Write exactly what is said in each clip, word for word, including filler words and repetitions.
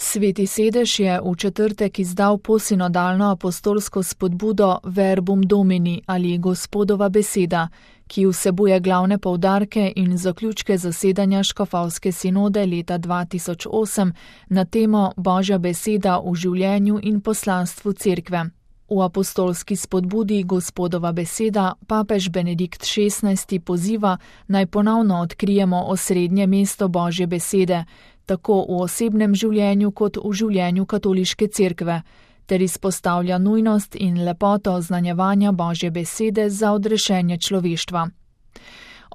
Sveti sedež je v četrtek izdal posinodalno apostolsko spodbudo Verbum Domini ali Gospodova beseda, ki vsebuje glavne poudarke in zaključke zasedanja škofovske sinode leta dva tisoč osem na temo Božja beseda v življenju in poslanstvu cerkve. V apostolski spodbudi Gospodova beseda papež Benedikt šestnajsti poziva, naj ponovno odkrijemo osrednje mesto Božje besede, tako v osebnem življenju kot v življenju katoliške cerkve, ter izpostavlja nujnost in lepoto oznanjevanja Božje besede za odrešenje človeštva.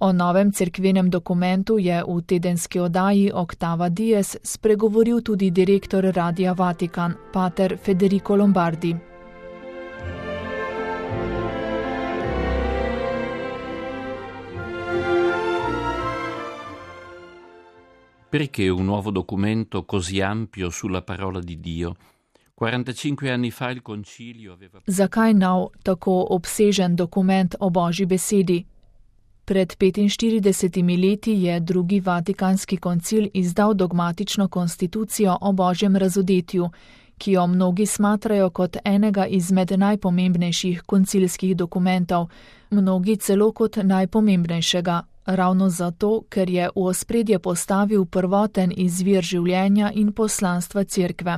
O novem cerkvenem dokumentu je v tedenski oddaji Octava Dies spregovoril tudi direktor Radia Vatikan, pater Federico Lombardi. Perché un nuovo documento così ampio sulla parola di Dio? quarantacinque anni fa il concilio aveva... Zakaj nov, tako obsežen dokument o Božji besedi? Pred petinštiridesetimi leti je drugi Vatikanski koncil izdal dogmatično konstitucijo o Božjem razodetju, ki jo mnogi smatrajo kot enega izmed najpomembnejših koncilskih dokumentov, mnogi celo kot najpomembnejšega. Ravno zato, ker je v ospredje postavil prvoten izvir življenja in poslanstva cerkve.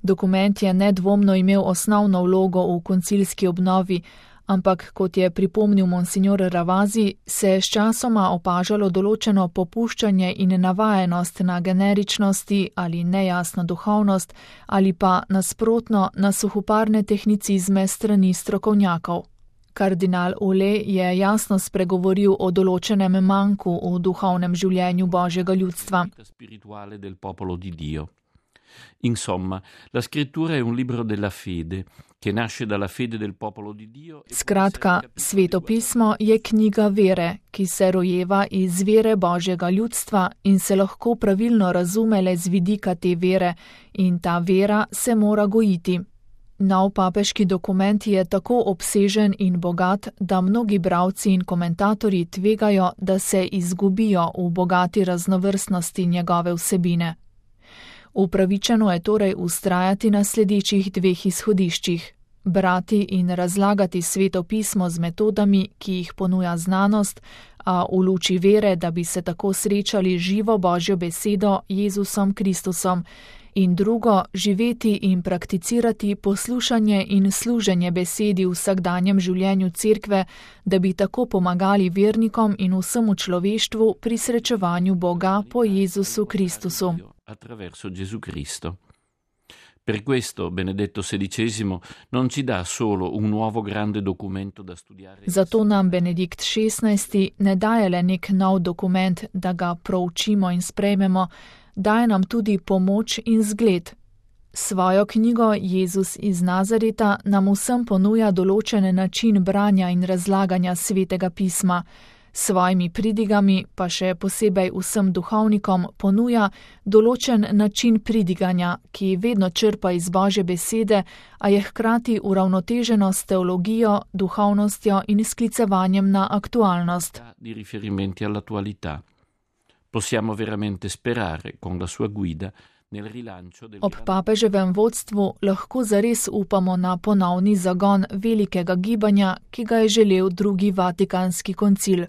Dokument je nedvomno imel osnovno vlogo v koncilski obnovi, ampak, kot je pripomnil monsignor Ravasi, se je sčasoma opažalo določeno popuščanje in navajenost na generičnosti ali nejasno duhovnost ali pa nasprotno na suhoparne tehnicizme strani strokovnjakov. Kardinal Ole je jasno spregovoril o določenem manku v duhovnem življenju Božjega ljudstva. Insomma, la scrittura è un libro della fede, che nasce dalla fede del popolo di Dio. Skratka, Sveto pismo je knjiga vere, ki se rojeva iz vere Božjega ljudstva in se lahko pravilno razume le z vidika te vere, in ta vera se mora gojiti. Nov papeški dokument je tako obsežen in bogat, da mnogi bralci in komentatorji tvegajo, da se izgubijo v bogati raznovrstnosti njegove vsebine. Upravičeno je torej vztrajati na sledečih dveh izhodiščih: brati in razlagati Sveto pismo z metodami, ki jih ponuja znanost, a v luči vere, da bi se tako srečali živo Božjo besedo Jezusom Kristusom, in drugo, živeti in prakticirati poslušanje in služenje besedi v vsakdanjem življenju cerkve, da bi tako pomagali vernikom in vsemu človeštvu pri srečevanju Boga po Jezusu Kristusu. Attraverso Gesù Cristo. Per questo Benedetto sedicesimo non ci dà solo un nuovo grande documento da studiare. Zato nam Benedikt šestnajsti ne daje le nek nov dokument, da ga proučimo in sprejmemo, daje nam tudi pomoč in zgled. Svojo knjigo Jezus iz Nazareta nam vsem ponuja določen način branja in razlaganja Svetega pisma, s svojimi pridigami pa še posebej vsem duhovnikom ponuja določen način pridiganja, ki vedno črpa iz Božje besede, a je hkrati uravnoteženo s teologijo, duhovnostjo in sklicevanjem na aktualnost. Di riferimenti all'attualità. Possiamo veramente sperare con la sua guida nel rilancio del... Ob papeževem vodstvu lahko zares upamo na ponovni zagon velikega gibanja, ki ga je želel drugi Vatikanski koncil.